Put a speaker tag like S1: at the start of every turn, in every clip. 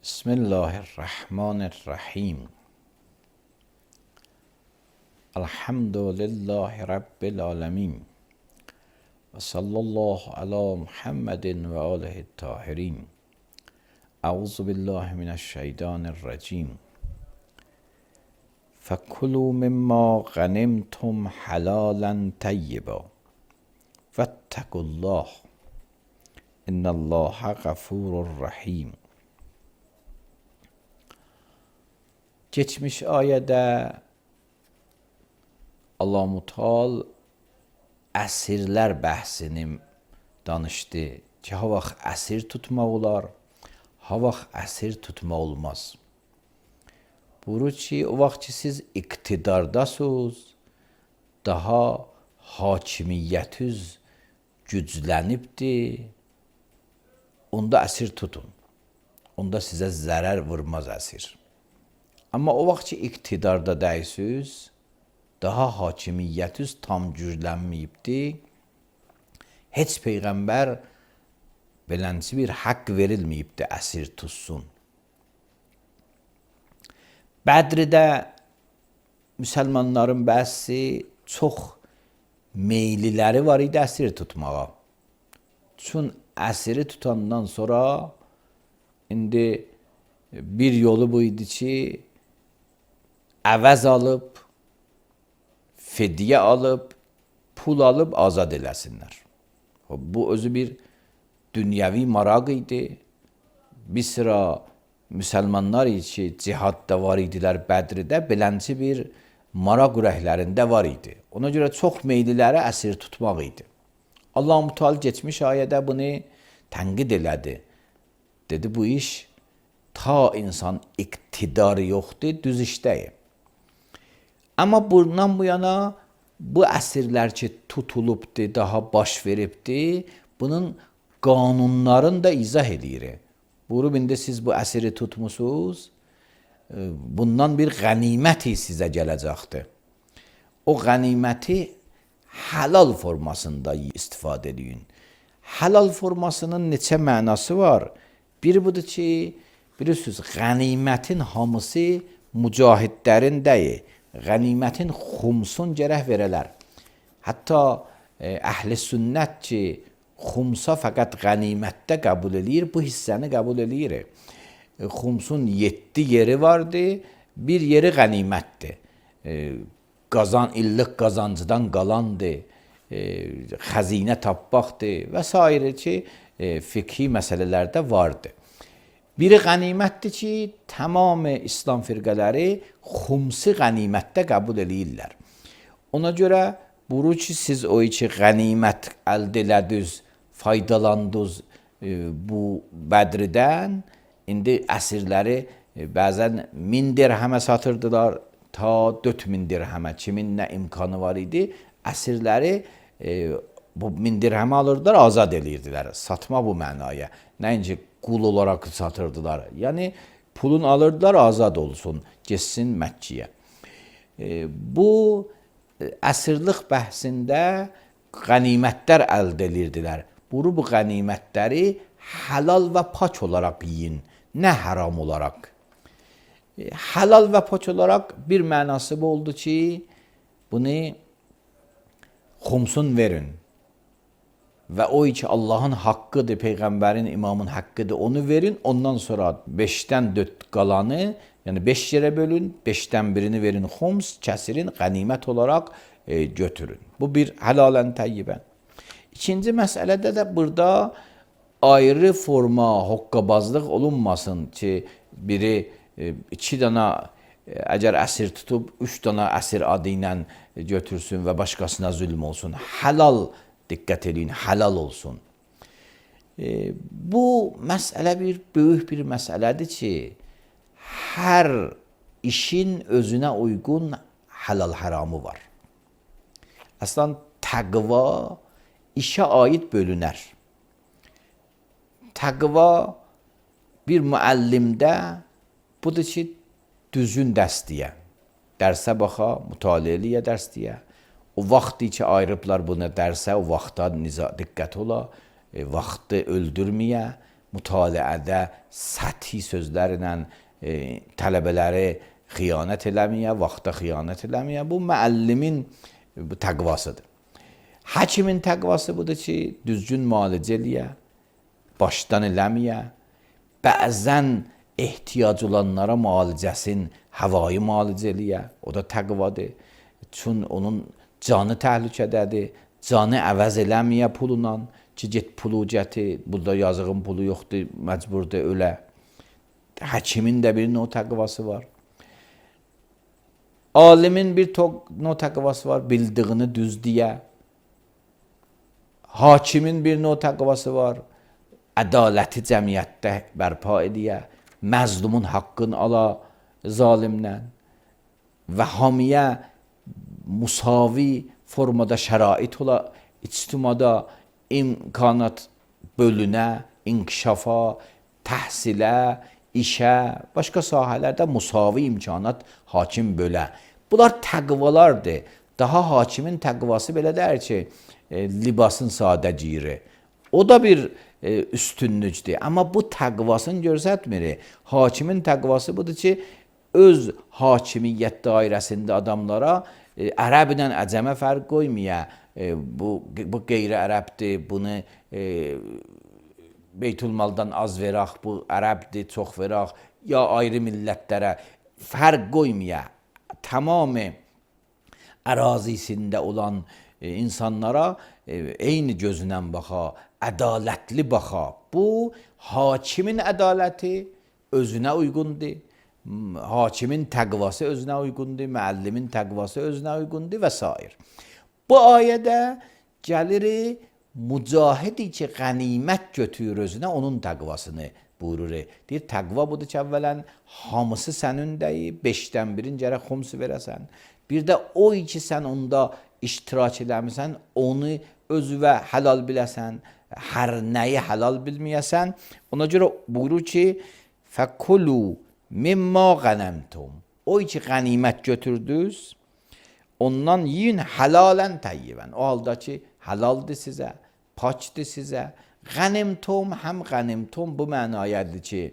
S1: بسم الله الرحمن الرحیم. الحمد لله رب العالمین و صلی الله علی محمد و آله الطاهرین. اعوذ بالله من الشیطان الرجیم. فکلوا مما غنمتم حلالا طیبا واتقوا الله ان الله غفور رحیم. Geçmiş ayədə Allah-u Teala əsirlər bəhsini danışdı ki, ha vaxt əsir tutmaq olar, ha vaxt əsir tutmaq olmaz. Buyurur ki, o vaxt ki siz iqtidardasınız, daha hakimiyyətiniz güclənibdir, onda əsir tutun. Onda sizə zərər vurmaz əsir. Amma o vaxt ki iqtidarda dəysiniz, daha hakimiyyətiniz tam güclənməyibdir, heç Peyğəmbər belənci bir haqq verilməyibdir əsir tutsun. Bədridə müsəlmanların bəzi çox meyliləri var idi əsir tutmağa. Çün əsiri tutandan sonra indi bir yolu bu idi ki, əvəz alıb, fidyə alıb, pul alıb azad eləsinlər. Bu özü bir dünyəvi maraq idi. Bir sıra müsəlmanlar ki, cihadda var idilər Bədridə, belənci bir maraq ürəklərində var idi. Ona görə çox meyliləri əsir tutmaq idi. Allah-u Teala geçmiş ayədə bunu tənqid elədi. Dedi, bu iş ta insan iqtidarı yoxdur, düz işdəyir. Amma bundan bu yana bu əsirlər ki tutulubdur, daha baş veribdir, bunun qanunlarını da izah edir. Buyurub, indi siz bu əsiri tutmusunuz, bundan bir qəniməti sizə gələcəkdir. O qəniməti halal formasında istifadə edin. Halal formasının neçə mənası var? Biri budur ki, bilirsiniz, qənimətin hamısı mücahidlərin deyil. Qənimətin xumsun gərək verələr. Hətta əhl-i sünnət ki, xumsa fəqət qənimətdə qəbul edir, bu hissəni qəbul edir. Xumsun 7 yeri vardı, bir yeri qənimətdir. İllıq qazancıdan qalandır, xəzinə tapmaqdır və s. ki, fiqhi məsələlərdə vardır. Biri qənimətdir ki, tamam İslam firqələri xumsi qənimətdə qəbul edirlər. Ona görə buyurur ki, siz o ki qənimət əldə elədiniz, faydalandınız bu Bədridən, indi əsirləri bəzən 1000 dirhəmə satırdılar, ta 4000 dirhəmə, kimin nə imkanı var idi, əsirləri bu 1000 dirhəmə alırdılar, azad edirdilər. Satma bu mənaya. Nəinki qul olaraq satırdılar. Yəni pulun alırdılar, azad olsun, geçsin Məkkəyə. Bu əsirlik bəhsində qənimətlər əldə edirdilər. Bu qənimətləri halal və pak olaraq yiyin, nə haram olaraq. Halal və pak olaraq bir mənası bu oldu ki, bunu xumsun verin. Və o ki Allahın haqqıdır, Peyğəmbərin, imamın haqqıdır, onu verin. Ondan sonra 5-dən 4 qalanı, yəni 5 yerə bölün, 5-dən birini verin xums, kəsirin, qənimət olaraq götürün. Bu bir həlalən təyyibən. İkinci məsələdə də burada ayrı forma, hoqqabazlıq olunmasın ki, biri 2 dana əgər əsir tutub, 3 dana əsir adı ilə götürsün və başqasına zülm olsun. Halal diqqət edin, halal olsun. Bu məsələ böyük bir məsələdir ki, hər işin özünə uyğun halal haramı var. Əslən, təqva işə aid bölünər. Təqva bir müəllimdə budur ki, düzgün dərs deyə, dərsə baxa, mütaliə eləyə dərs deyə. O vaxtı ki ayırıblar buna dərsə, o vaxta diqqət ola, vaxtı öldürməyə, mütaliədə səthi sözlərlə tələbələri xiyanət eləməyə, vaxta xiyanət eləməyə. Bu müəllimin təqvasıdır. Həkimin təqvası budur ki, düzgün müalicə eləyə, başdan eləməyə, bəzən ehtiyac olanlara müalicəsin havayı müalicə eləyə, o da təqvadır. Çün onun canı təhlükədədir, canı əvəz eləməyə pulla ki, get pulu gətir, burada yazığın pulu yoxdur, məcburdur ölə. Həkimin də bir növ təqvası var. Alimin bir növ təqvası var, bildiğini düz deyə. Hakimin bir növ təqvası var, ədaləti cəmiyyətdə bərpa edə, məzlumun haqqını ala zalimdən və hamiyə musavi formada şərait ola, ictimada imkanat bölünə, inkişafa, təhsilə, işə, başqa sahələrdə musavi imkanat hakim bölə. Bunlar təqvalardır. Daha hakimin təqvası belə deyir ki, libasın sadə giyiri. O da bir üstünlükdür. Amma bu təqvasını göstərmir. Hakimin təqvası budur ki, öz hakimiyyət dairəsində adamlara ərəblə əcəmə fərq qoymaya, bu qeyri-ərəbdir, bunu Beytülmaldan az verək, bu ərəbdir, çox verək, ya ayrı millətlərə fərq qoymaya, tamamı ərazisində olan insanlara eyni gözlə baxa, ədalətli baxa. Bu, hakimin ədaləti özünə uyğundur, hakimin təqvası özünə uyğundur, müəllimin təqvası özünə uyğundur və s. Bu ayədə gəlir mücahidi ki, qənimət götürür özünə, onun təqvasını buyurur. Deyir, təqva budur ki, əvvələn hamısı sənindəyir, 5-dən 1-in gərək xumsu verəsən. Bir də o ki, sən onda iştirak eləmirsən, onu özüvə halal biləsən, hər nəyi halal bilməyəsən. Ona görə buyurur ki, fəkulu mimma qənəmtum. O ki, qənimət götürdünüz, ondan yiyin halalən təyyibən. O halda ki, halaldır sizə, paçdır sizə. Qənimtum, həm qənimtum bu mənayədir ki,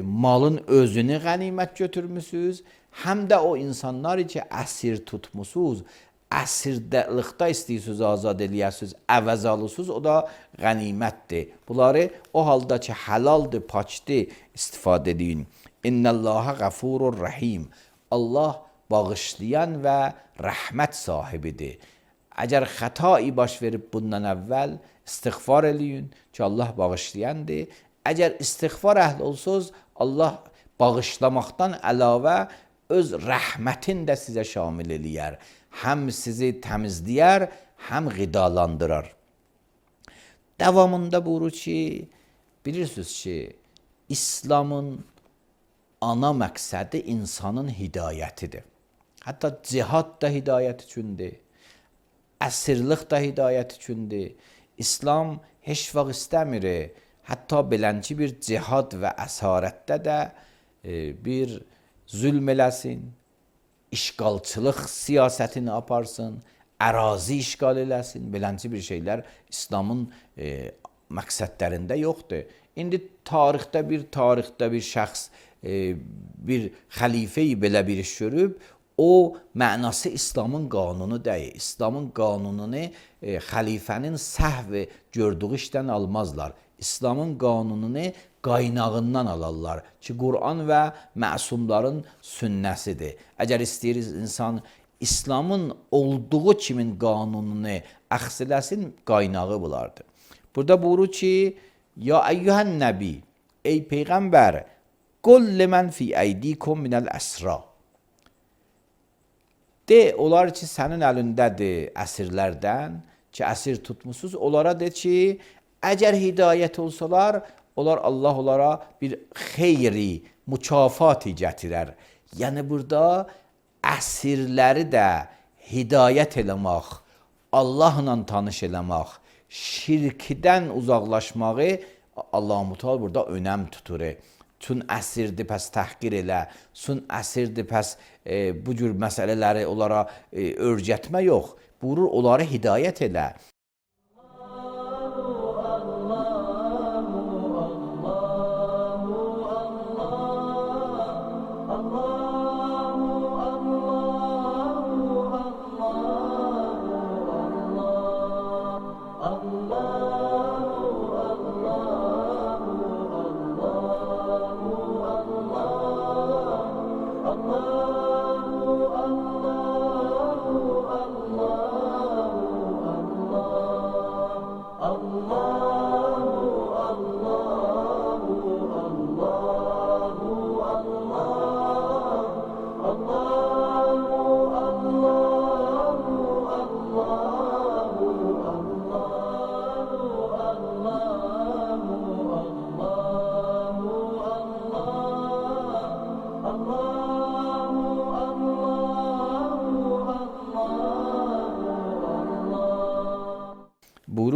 S1: malın özünü qənimət götürmüsünüz, həm də o insanlar ki, əsir tutmusunuz, əsirlikdə istəyirsiniz, azad eləyəsiniz, əvəz alıyorsunuz, o da qənimətdir. Bunları o halda ki, halaldır, paçdır, istifadə edin. İnnəllaha qəfurur rəhim. Allah bağışlayan və rəhmət sahibidir. Əgər xətai baş verib bundan əvvəl istiğfar eləyin ki, Allah bağışlayandır. Əgər istiğfar əhli olsanız, Allah bağışlamaqdan əlavə öz rəhmətin də sizə şamil eləyər. Həm sizi təmizləyər, həm qidalandırar. Davamında buyurur ki, bilirsiniz ki, İslamın ana məqsədi insanın hidayətidir. Hətta cihad da hidayət üçündür. Əsirlik də hidayət üçündür. İslam heç vaxt istəmir, hətta belənci bir cihad və əsarətdə də bir zülm eləsin, işğalçılıq siyasətini aparsın, ərazi işğal eləsin, belənci bir şeylər İslamın məqsədlərində yoxdur. İndi tarixdə bir şəxs, bir xəlifəyi belə bir iş görüb, o mənası İslamın qanunu deyil. İslamın qanununu xəlifənin səhv gördüyü işdən almazlar. İslamın qanununu qaynağından alarlar ki, Quran və məsumların sünnəsidir. Əgər istəyir insan İslamın olduğu kimin qanununu əxz eləsin, qaynağı bulardır. Burada buyurur ki, ya eyyuhən nəbi, ey Peyğəmbər, qul limən fi əydikum minəl əsra. De, onlar ki, sənin əlindədir əsirlərdən, ki, əsir tutmuşsunuz, onlara de ki, əgər hidayət olsalar, Allah onlara bir xeyri, mükafati gətirər. Yəni, burada əsirləri də hidayət eləmək, Allahla tanış eləmək, şirkdən uzaqlaşmağı Allah-u Teala burada önəm tutur. Çün əsirdir, pəs təhqir elə, çün əsirdir, pəs bu cür məsələləri onlara örgətmə yox. Buyurur, onları hidayət elə.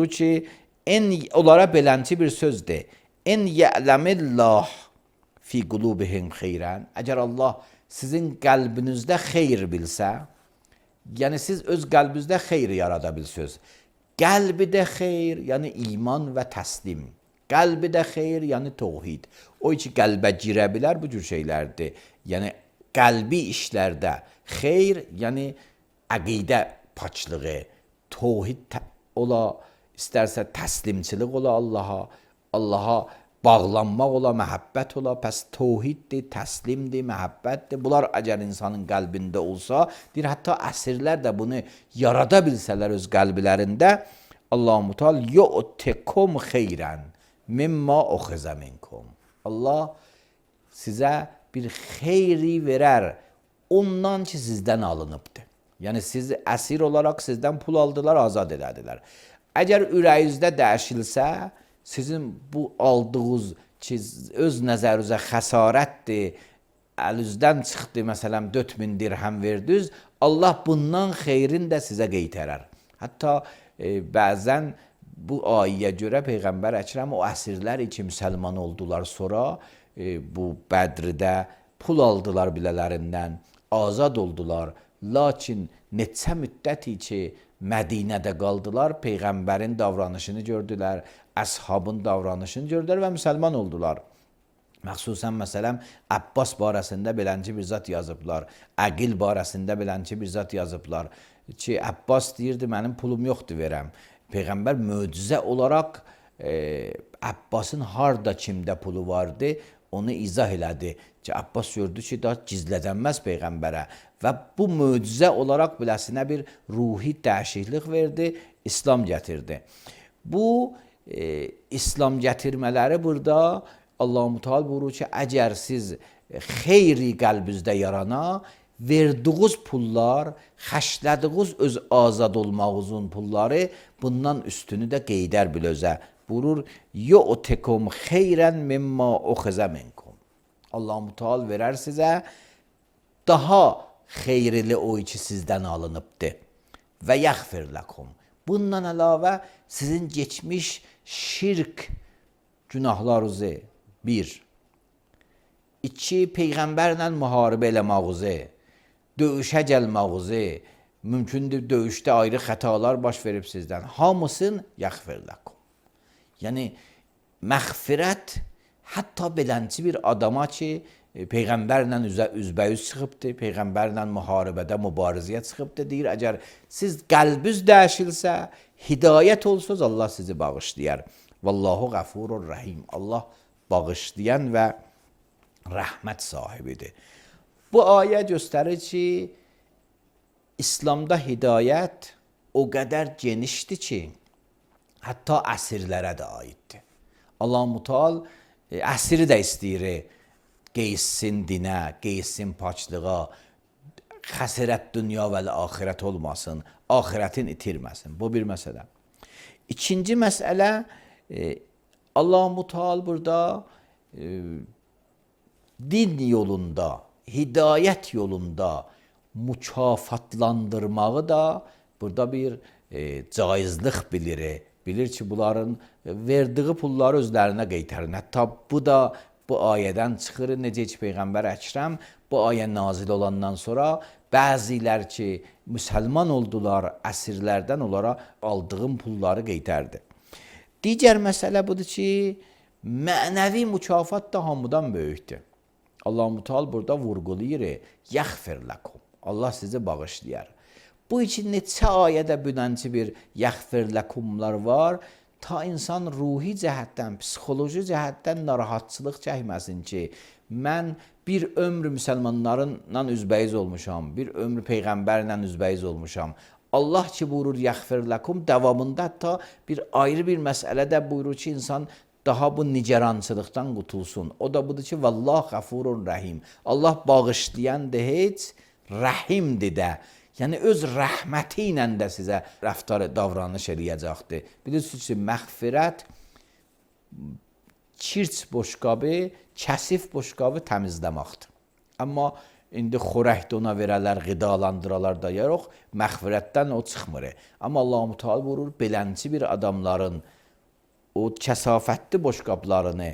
S1: buyurur ki, onlara beləncə bir sözdür. En ya'lemillah fi qulubihim xeyran. Əgər Allah sizin qəlbinizdə xeyr bilsə, yəni siz öz qəlbinizdə xeyr yarada bilsiniz. Qəlbidə xeyr, yəni iman və təslim. Qəlbidə xeyr, yəni təvhid. O ki qəlbə girə bilər bu cür şeylərdir. Yəni qəlbi işlərdə xeyr, yəni əqidə paçlığı, təvhid ola, istərsə təslimçilik ola Allaha bağlanmaq ola, məhəbbət ola, pəs təvhiddir, təslimdir, məhəbbətdir. Bunlar əgər insanın qəlbində olsa, deyir, hətta əsirlər də bunu yarada bilsələr öz qəlblərində, Allah-u Teala yu'tikum xeyran mimma ukhizə minkum. Allah sizə bir xeyri verər ondan ki sizdən alınıbdır. Yəni siz əsir olaraq sizdən pul aldılar, azad elədilər. Əgər ürəyinizdə dəyişilsə, sizin bu aldığınız ki öz nəzərinizə xəsarətdir, əlinizdən çıxdı, məsələn 4000 dirhəm verdiniz, Allah bundan xeyrin də sizə qaytarər. Hətta bəzən bu ayəyə görə Peyğəmbər Əkrəm o əsirlər ki müsəlman oldular sonra, bu Bədrdə pul aldılar bilələrindən, azad oldular. Lakin neçə müddəti ki Mədinədə qaldılar, Peyğəmbərin davranışını gördülər, əshabın davranışını gördülər və müsəlman oldular. Məxsusən məsələn Abbas barəsində beləncə bir zat yazıblar, Əqil barəsində beləncə bir zat yazıblar ki, Abbas deyirdi, mənim pulum yoxdur verəm. Peyğəmbər möcüzə olaraq Abbasın harda kimdə pulu vardı, onu izah elədi ki, Abbas gördü ki, daha gizlədənməz Peyğəmbərə və bu möcüzə olaraq biləsinə bir ruhi dəyişiklik verdi, İslam gətirdi. Bu İslam gətirmələri burada Allah-u Teala buyurur ki, əgər siz xeyri qəlbinizdə yarana, verdiğiniz pullar, xərclədiyiniz öz azad olmağınızın pulları bundan üstünü də qeydər bil özə. Buyurur, yu'tikum xeyran mimma ukhizə minkum. Allah-u Teala verər sizə daha xeyrili o ki sizdən alınıbdır. Və yəğfir ləkum. Bundan əlavə sizin geçmiş şirk günahlarınızı 1. 2. Peyğəmbərlə müharibə eləmağınızı, döyüşə gəlmağınızı, mümkündür döyüşdə ayrı xətalar baş verib sizdən. Hamısın yəğfir ləkum. Yəni məğfirət hətta beləncə bir adama ki Peyğəmbərlə üzbəyüz çıxıbdır, Peyğəmbərlə müharibədə, mübarizəyə çıxıbdır, deyir, əgər siz qəlbiniz dəyişilsə, hidayət olsunuz, Allah sizi bağışlayar. Vallahu qəfurur rəhim. Allah bağışlayan və rəhmət sahibidir. Bu ayə göstərir ki, İslamda hidayət o qədər genişdir ki, hətta əsirlərə də aiddir. Allah-u Teala əsiri də istəyir, qeyssin dinə, qeyssin paçlığa, xəsirət dünya və axirət olmasın, axirətin itirməsin. Bu bir məsələ. İkinci məsələ, Allah-u Teala burada din yolunda, hidayət yolunda mükafatlandırmağı da burada bir caizlik bilir. Bilir ki, bunların verdiği pulları özlərinə qaytarın. Hətta bu da bu ayədən çıxır. Necə ki, Peyğəmbər Əkrəm bu ayə nazil olandan sonra bəzilər ki, müsəlman oldular, əsirlərdən onlara aldığım pulları qaytardı. Digər məsələ budur ki, mənəvi mükafat da hamıdan böyükdür. Allah-u Teala burada vurğulayır, yəğfir ləkum. Allah sizi bağışlayar. Bu için neçə ayədə bünənci bir yəğfir ləkumlar var, ta insan ruhi cəhətdən, psixoloji cəhətdən narahatçılıq çəkməsin ki, mən bir ömrü müsəlmanlarla üzbəyiz olmuşam, bir ömrü Peyğəmbərlə üzbəyiz olmuşam. Allah ki buyurur yəğfir ləkum, davamında hətta bir ayrı bir məsələdə buyurur ki, insan daha bu nigerançılıqdan qutulsun. O da budur ki, vallah qəfurun rəhim. Allah bağışlayandır heç, rəhimdir də. Yəni öz rəhməti ilə də sizə rəftar, davranış eləyəcəkdir. Bilirsiniz ki, məğfirət kirç boşqabı, kəsif boşqabı təmizləməkdir. Amma indi xörəkdə ona verələr, qidalandıralar da yox, məğfirətdən o çıxmır. Amma Allah-u Teala buyurur, belənçi bir adamların o kəsafətli boşqablarını,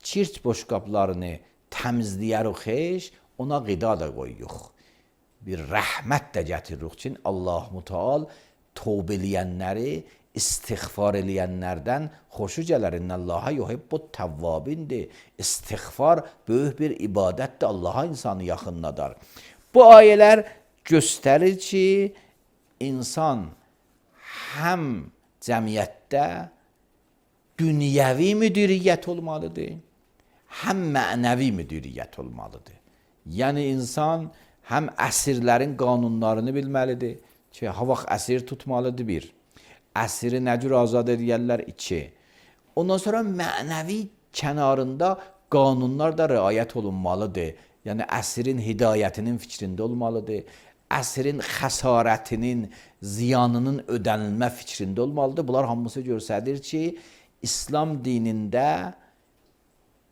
S1: çirt boşqablarını təmizləyərik xeş, ona qida da qoyuq. Bir rəhmət də gətiririk ki, Allah-u Teala tövbə eləyənləri, istiğfar eləyənlərdən xoşu gələr. İnnallaha yuhibbut tavvabindir. İstiğfar böyük bir ibadətdir. Allaha insanı yaxınladar. Bu ayələr göstərir ki, insan həm cəmiyyətdə dünyəvi müdiriyyət olmalıdır, həm mənəvi müdiriyyət olmalıdır. Yəni insan həm əsirlərin qanunlarını bilməlidir ki, ha vaxt əsir tutmalıdır bir. Əsiri nə cür azad edərlər? 2. Ondan sonra mənəvi kənarında qanunlar da riayət olunmalıdır. Yəniəsirin hidayətinin fikrində olmalıdır. Əsrin xəsarətinin, ziyanının ödənilmə fikrində olmalıdır. Bunlar hamısı göstərir ki, İslam dinində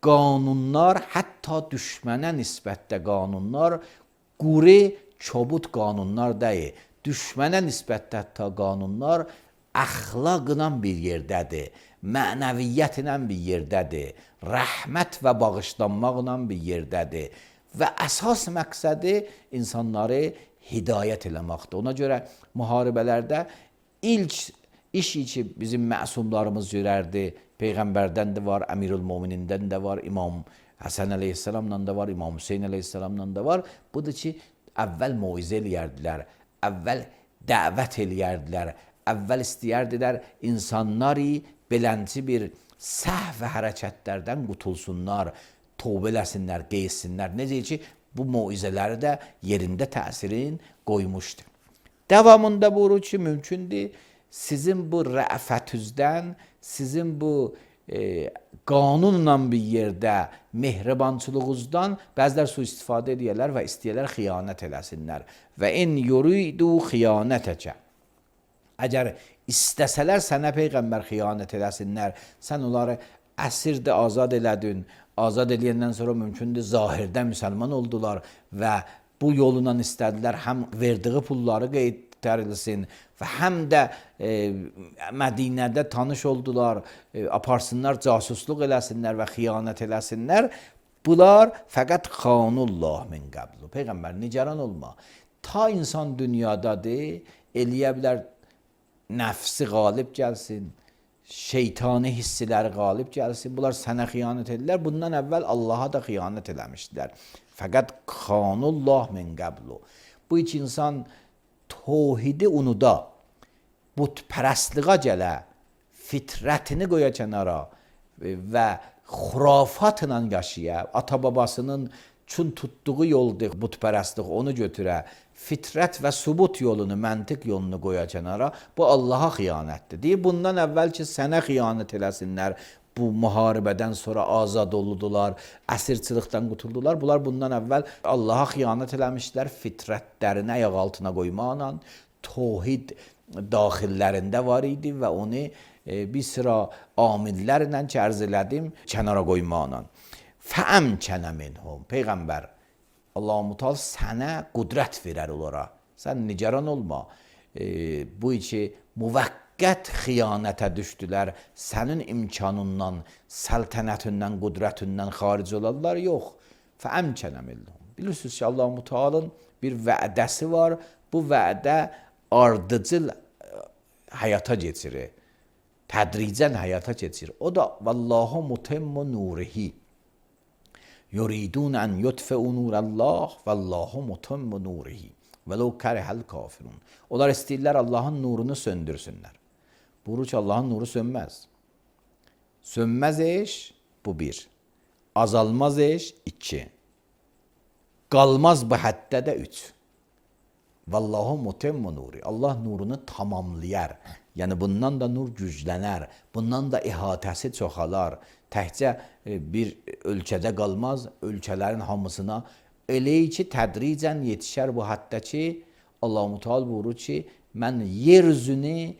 S1: qanunlar, hətta düşmənə nisbətdə qanunlar, quri, kobud qanunlar deyil. Düşmənə nisbətdə hətta qanunlar əxlaqla bir yerdədir, mənəviyyətlə bir yerdədir, rəhmət və bağışlanmaqla bir yerdədir və əsas məqsədi insanları hidayət eləməkdir. Ona görə müharibələrdə ilk iş ki bizim məsumlarımız görərdi, Peyğəmbərdən də var, Əmirül-Möminindən də var, İmam Həsən əleyhissalamla da var, İmam Hüseyn əleyhissalamla da var. Budur ki, əvvəl moizə eləyərdilər, əvvəl dəvət eləyərdilər, əvvəl istəyərdilər insanları belənci bir səhv və hərəkətlərdən qutulsunlar, tövbə eləsinlər, qeysinlər. Necə ki, bu moizələri də yerində təsirin qoymuşdur. Davamında buyurur ki, mümkündür sizin bu rəfətüzdən, sizin bu qanunla bir yerdə mehribançılığınızdan bəzilər sui-istifadə edərlər və istəyirlər xiyanət eləsinlər. Və in yuridu xiyanətəkə. Əgər istəsələr sənə Peyğəmbər xiyanət eləsinlər, sən onları əsirdə azad elədin, azad eləyəndən sonra mümkündür zahirdə müsəlman oldular və bu yolla istədilər həm verdiyi pulları qaytarilsin və həm də Mədinədə tanış oldular, aparsınlar, casusluq eləsinlər və xiyanət eləsinlər. Bunlar fəqət xanullah min qəblu. Peyğəmbər nigaran olma. Ta insan dünyadadır, eləyə bilər nəfsi qalib gəlsin, şeytani hissləri qalib gəlsin. Bunlar sənə xiyanət edirlər. Bundan əvvəl Allaha da xiyanət eləmişdilər. Fəqət xanullah min qəblu. Bu iki insan tövhidi unuda, butpərəstliğə gələ, fitrətini qoya kənara və xurafatla yaşaya, ata-babasının çün tutduğu yoldur butpərəstlik, onu götürə, fitrət və subut yolunu, məntiq yolunu qoya kənara, bu Allaha xiyanətdir. Deyir, bundan əvvəl ki, sənə xiyanət eləsinlər, bu müharibədən sonra azad oldular, əsirçilikdən qutuldular. Bunlar bundan əvvəl Allaha xiyanət eləmişlər, fitrətlərini ayaq altına qoymaqla, tövhid daxillərində var idi və onu bir sıra amillərlə ki, ərz elədim, kənara qoymaqla. Fəəmkənə minhum. Peyğəmbər, Allah-u Teala sənə qudrət verər onlara. Sən nigaran olma. Bu iki müvəqqət xiyanətə düşdülər. Sənin imkanından, səltənətindən, qudrətindən xaric olarlar. Yox. Fəəmkənə minhum. Bilirsiniz ki, Allah-u Teala'nın bir vədəsi var. Bu vədə ardıcıl həyata keçirir. Tədricən həyata keçirir. O da vallahu mutimmu nurihi. Yuridun an yutfi'u nurallah vallahu mutimmu nurihi. Vəlau kərihəl kafirun. Onlar istəyirlər Allahın nurunu söndürsünlər. Buyurur ki, Allahın nuru sönməz. Sönməz eş, bu bir. Azalmaz eş, 2. Qalmaz bu həddə də 3. Vallahu mutimmu nuri. Allah nurunu tamamlayar. Yəni bundan da nur güclənər. Bundan da ihatəsi çoxalar. Təkcə bir ölkədə qalmaz, ölkələrin hamısına. Elə ki, tədricən yetişər bu həddə ki, Allah-u Teala buyurur ki, mən yer üzünü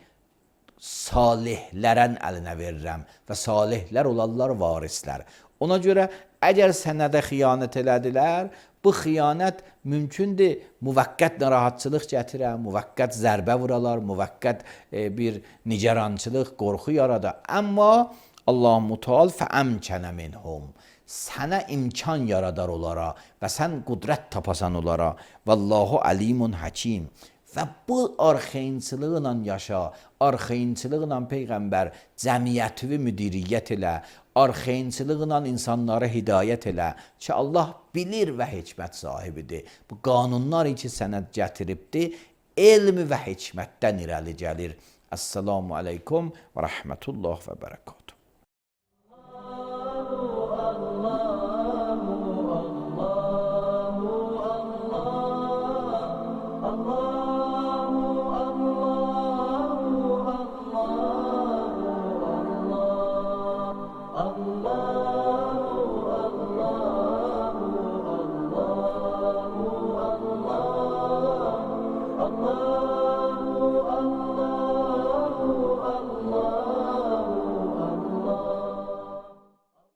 S1: salihlərin əlinə verirəm və salihlər olarlar varislər. Ona görə əgər sənədə xiyanət elədilər, Bu xiyanət mümkündür, müvəqqət narahatçılıq gətirə, müvəqqət zərbə vuralar, müvəqqət bir nigarançılıq, qorxu yarada. Amma Allah Müteal fəəmkənə minhum. Sənə imkan yaradar onlara və sən qudrət tapasan onlara. Vallahu alimun hakim. Və bu arxayınçılıqla yaşa, arxayınçılıqla Peyğəmbər cəmiyyətivi müdiriyyət elə, arxayınçılıqla insanlara hidayət elə ki, Allah bilir və hikmət sahibidir. Bu qanunlar ki, sənə gətiribdir, elm və hikmətdən irəli gəlir. Əssalamu aleykum və rəhmətullah və bərəkət.